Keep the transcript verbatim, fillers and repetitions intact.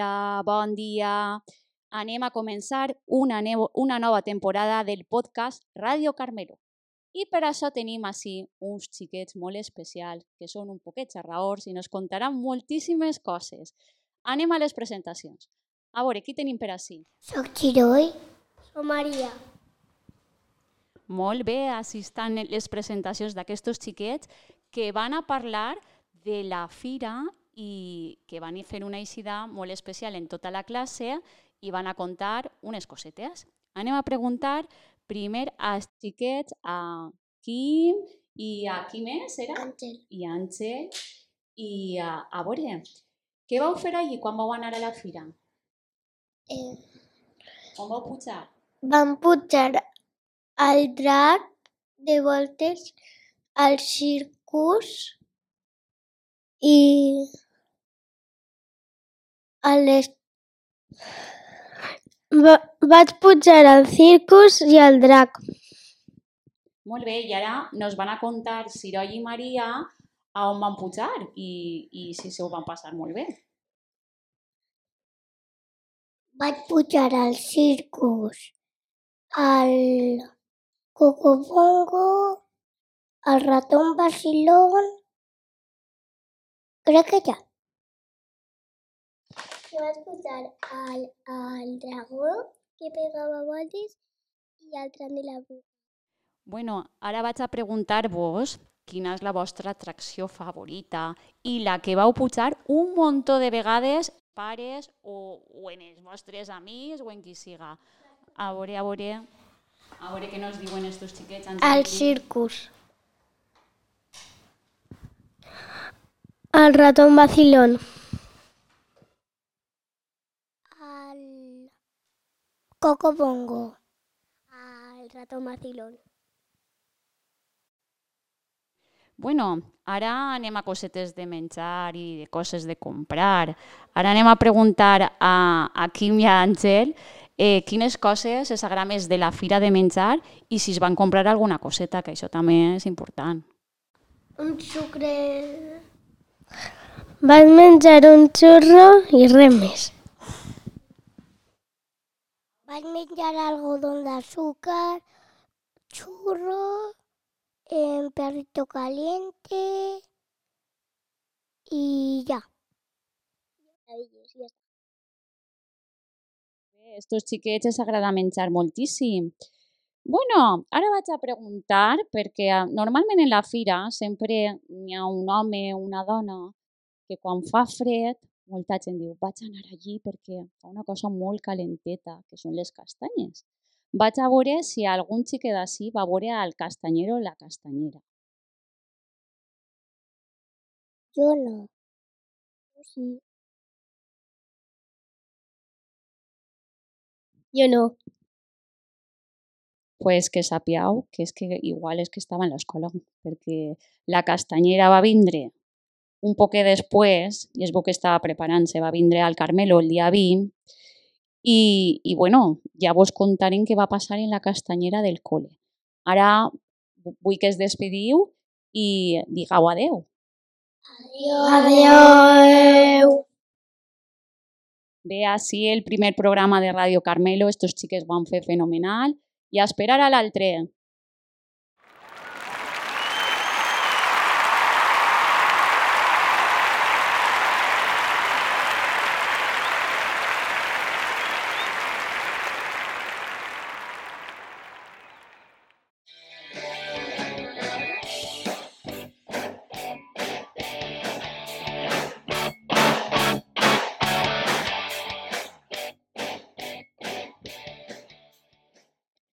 Hola, bon dia. Anem a començar una, nevo, una nova temporada del podcast Ràdio Carmelo. I per això tenim així uns xiquets molt especials que són un poquet xarraors i ens contaran moltíssimes coses. Anem a les presentacions. A veure, qui tenim per així? Soc Giroi. Soc Maria. Molt bé, així estan les presentacions d'aquests xiquets que van a parlar de la fira i que van fer una eixida molt especial en tota la classe i van a contar unes cosetes. Anem a preguntar primer als xiquets, a Quim i a qui més era? Àngel. I Àngel. I a, a veure, què vau fer allí quan vau anar a la fira? Eh, On vau pujar? vam pujar al drac de voltes, al circus i a les... Va, vaig pujar al circus i al drac. Molt bé, i ara nos van a contar Siroi i Maria a on van pujar i, i si se ho van passar molt bé. Vaig pujar al circus, al Cocobongo, al ratón vacilón, crec que ja. I vaig pujar al, al dragó que pegava voltes i al tren de la bruja. Bueno, ara vaig a preguntar-vos quina és la vostra atracció favorita i la que vau pujar un muntó de vegades, pares o, o en els vostres amics o en qui siga. A veure, a veure, a veure què nos diuen estos xiquets. Al circus. Al ratón vacilón. Al Cocobongo. Al ratón vacilón. Bueno, ara anem a cosetes de menjar i de coses de comprar. Ara anem a preguntar a, a Quim i a Àngel eh, quines coses els agrada més de la fira de menjar i si es van comprar alguna coseta, que això també és important. Un sucre... Vaig menjar un xurro i res més. Vaig menjar algodón d'azúcar, churro, eh, perrito caliente y ya. Estos xiquets els agrada menjar moltíssim. Bueno, ara vaig a preguntar, perquè normalment en la fira sempre hi ha un home o una dona que quan fa fred, molta gent diu vaig anar allí perquè fa una cosa molt calenteta, que són les castanyes. Vaig a veure si algun xiquet d'ací va veure al castanyero o la castanyera. Jo no. Sí. Jo no. Pues que sapiau que és que igual és que estava en l'escola, perquè la castanyera va vindre un poquet després, i es veu que estava preparant-se, va vindre al Carmelo el dia vint, i, i bueno, ja vos contarem què va passar en la castanyera del col·le. Ara vull que es despediu i digueu adeu. Adeu. Bé, així el primer programa de Ràdio Carmelo, estos xiques van fer fenomenal, i a esperar a l'altre.